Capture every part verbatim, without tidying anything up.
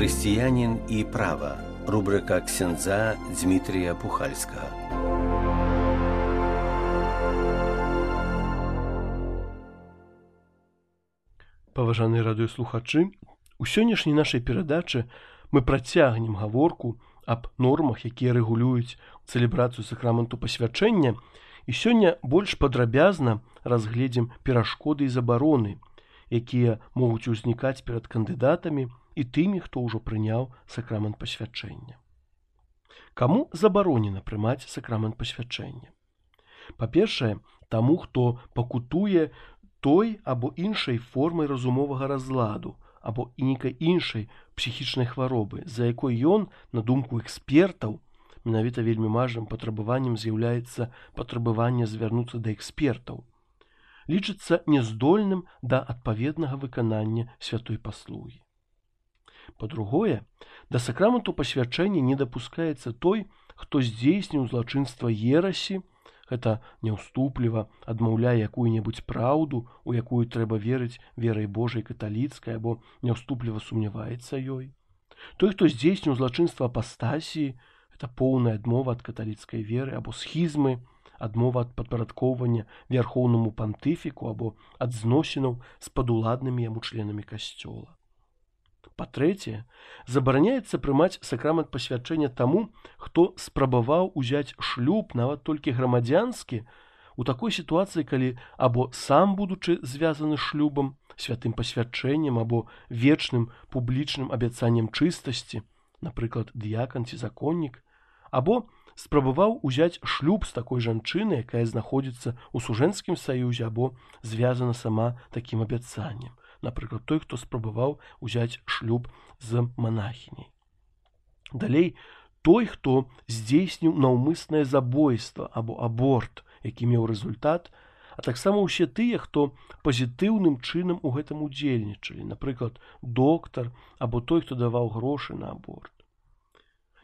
Християнин и право. Рубрика ксяндза Дмитрия Пухальского. Паважаныя радыёслухачы, у сённяшняй нашай перадачы мы працягнем гаворку аб нормах, якія рэгулююць цэлебрацыю сакраменту пасвячэння, і сёння больш падрабязна разгледзім перашкоды і забароны, якія могуць узнікаць перад кандыдатамі і тымі, хто ўжо прыняў сакрамент пасвячэння. Каму забаронена прымаць сакрамент пасвячэння? Па-першае, таму, хто пакутуе той або іншай формай разумовага разладу, або і нейкай іншай псіхічнай хваробы, за якой ён, на думку экспертаў, менавіта вельмі важным патрабаваннем з'яўляецца патрабаванне звярнуцца да экспертаў, лічыцца няздольным да адпаведнага выканання святой паслугі. Па-другое, да сакраменту пасвячэння не дапускаецца той, хто здзейсніў злачынства ерасі, гэта няўступліва адмаўляе якую-небудзь праўду, у якую трэба верыць верай Божай каталіцкай, або няўступліва сумняваецца ёй. Той, хто здзейсніў злачынства апастасіі, гэта поўная адмова ад каталіцкай веры, або схізмы, адмова ад падпарадкоўвання вярхоўнаму пантыфіку, або ад зносінаў з падуладнымі яму членамі касцёла. Па-трэцяе, забараняецца прымаць сакрамент пасвячэння таму, хто спрабаваў узяць шлюб, нават толькі грамадзянскі, у такой сітуацыі, калі або сам, будучы звязаны шлюбам, святым пасвячэннем, або вечным публічным абяцаннем чыстасці, напрыклад, дыякан ці законнік, або спрабаваў узяць шлюб з такой жанчынай, якая знаходзіцца ў сужэнцкім саюзе, або звязана сама такім абяцаннем. Напрыклад, той, хто спрабаваў узяць шлюб з манахіняй. Далей, той, хто здзейсніў наўмыснае забойства або аборт, які меў результат, а таксама ўсе тыя, хто пазітыўным чынам у гэтым удзельнічалі, напрыклад, доктар або той, хто даваў грошы на аборт.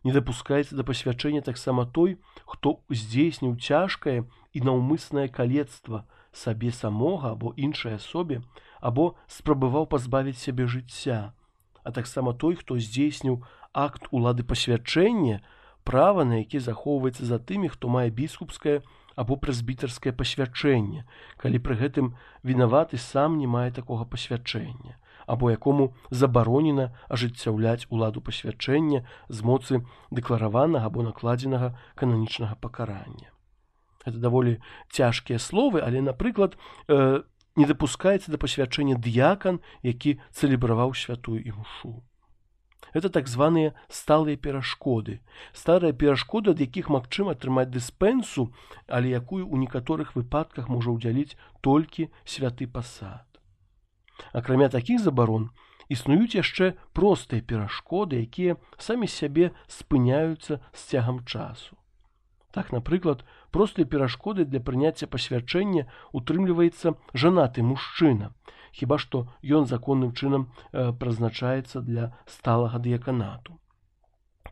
Не дапускаецца да пасвячэння таксама той, хто здзейсніў цяжкае і наўмыснае калецтва сабе самога або іншай асобе, або спрабаваў пазбавіць сябе жыцця, а таксама той, хто здзейсніў акт улады пасвячэння, права на які захоўваецца за тымі, хто мае біскупскае або прэзбітарскае пасвячэнне, калі пры гэтым вінаваты сам не мае такога пасвячэння, або якому забаронена ажыццяўляць уладу пасвячэння з моцы дэклараванага або накладзенага кананічнага пакарання. Гэта даволі цяжкія словы, але, напрыклад, э, не дапускаецца да пасвячэння дыякан, які цэлебраваў святую імшу. Гэта так званыя сталыя перашкоды. Старыя перашкоды, ад якіх магчыма атрымаць дыспенсу, але якую ў некаторых выпадках можа ўдзяліць толькі святы пасад. Акрамя такіх забарон, існуюць яшчэ простыя перашкоды, якія самі сябе спыняюцца з цягам часу. Так, напрыклад, простыя перашкоды для прыняцця пасвячэння утрымліваецца жанаты мужчына, хіба што ён законным чынам э, прызначаецца для сталага дыяканату.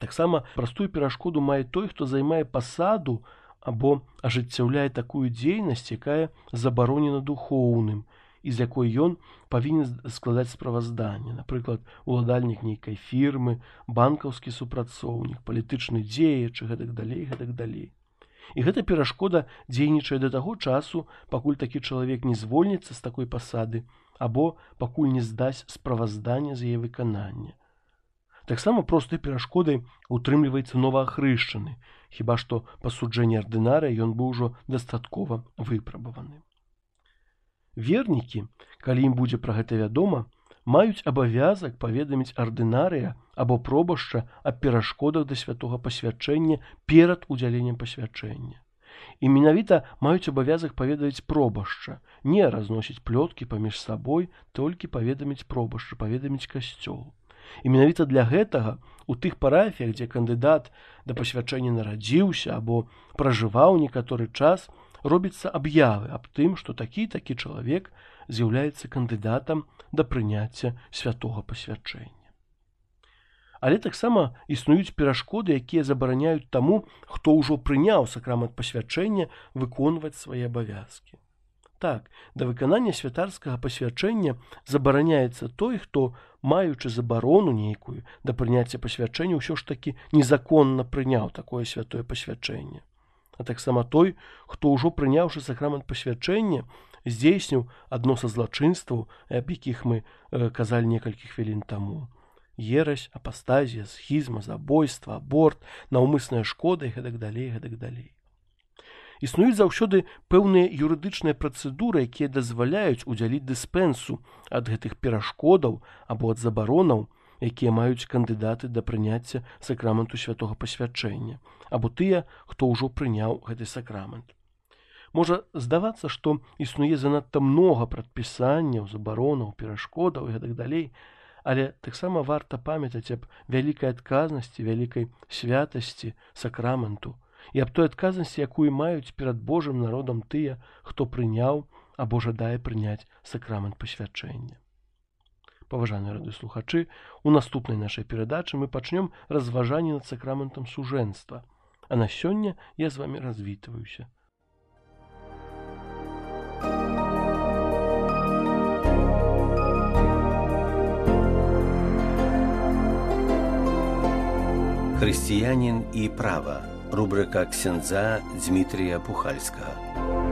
Таксама простую перашкоду мае той, хто займае пасаду або ажыццяўляе такую дзейнасць, якая забаронена духоўным, і з якой ён павінен складаць справазданне, напрыклад, уладальнік нейкай фірмы, банкаўскі супрацоўнік, палітычны дзеяч і гэтак далей, гэтак далей. І гэта перашкода дзейнічае да таго часу, пакуль такі чалавек не звольніцца з такой пасады, або пакуль не здасць справазданне з яе выканання. Таксама простай перашкодай утрымліваецца новаахрышчаны, хіба што па суджэнні ардынарыя ён быў ужо дастаткова выпрабаваны. Вернікі, калі ім будзе пра гэта вядома, маюць абавязак паведаміць ардынарыя або пробашча аб перашкодах да святога пасвячэння перад удзяленнем пасвячэння. І менавіта маюць абавязак паведаміць пробашча, не разносіць плёткі паміж сабой, толькі паведаміць пробашча, паведаміць касцёл. І менавіта для гэтага у тых парафіях, дзе кандыдат да пасвячэння нарадзіўся або пражываў некаторы час, робіцца аб'явы аб тым, што такі-такі чалавек з'яўляецца кандыдатам да прыняцця святога пасвячэння. Але таксама існуюць перашкоды, якія забараняюць таму, хто ўжо прыняў сакрамент пасвячэння, выконваць свае абавязкі. так, да выканання святарскага пасвячэння забараняецца той, хто, маючы забарону нейкую да прыняцця пасвячэння, ўсё ж такі незаконна прыняў такое святое пасвячэнне. А таксама той, хто ўжо прыняўшы сакрамент пасвячэння, здзейсніў адно са злачынстваў, аб якіх мы э, казалі некалькі хвілін таму. Ерась, апастазія, схізма, забойства, аборт, наўмысная шкода і гэтак далей, гэтак далей. Існуюць заўсёды пэўныя юрыдычныя працэдуры, якія дазваляюць удзяліць дыспэнсу ад гэтых перашкодаў або ад забаронаў, якія маюць кандыдаты да прыняцця сакраменту святога пасвячэння, або тыя, хто ўжо прыняў гэты сакрамент. Можа здавацца, што існуе занадта многа прадпісанняў, забаронаў, перашкодаў і гэтак далей, але таксама варта памятаць аб вялікай адказнасці, вялікай святасці сакраменту, і аб той адказнасці, якую маюць перад Божым народам тыя, хто прыняў або жадае прыняць сакрамент пасвячэння. Паважаныя радыёслухачы, у наступнай нашай перадачы мы пачнём разважанне над сакраментам сужэнства. А на сёння я з вамі развітваюся. Хрысціянін і права. Рубрика ксяндза Дзмітрія Пухальскага.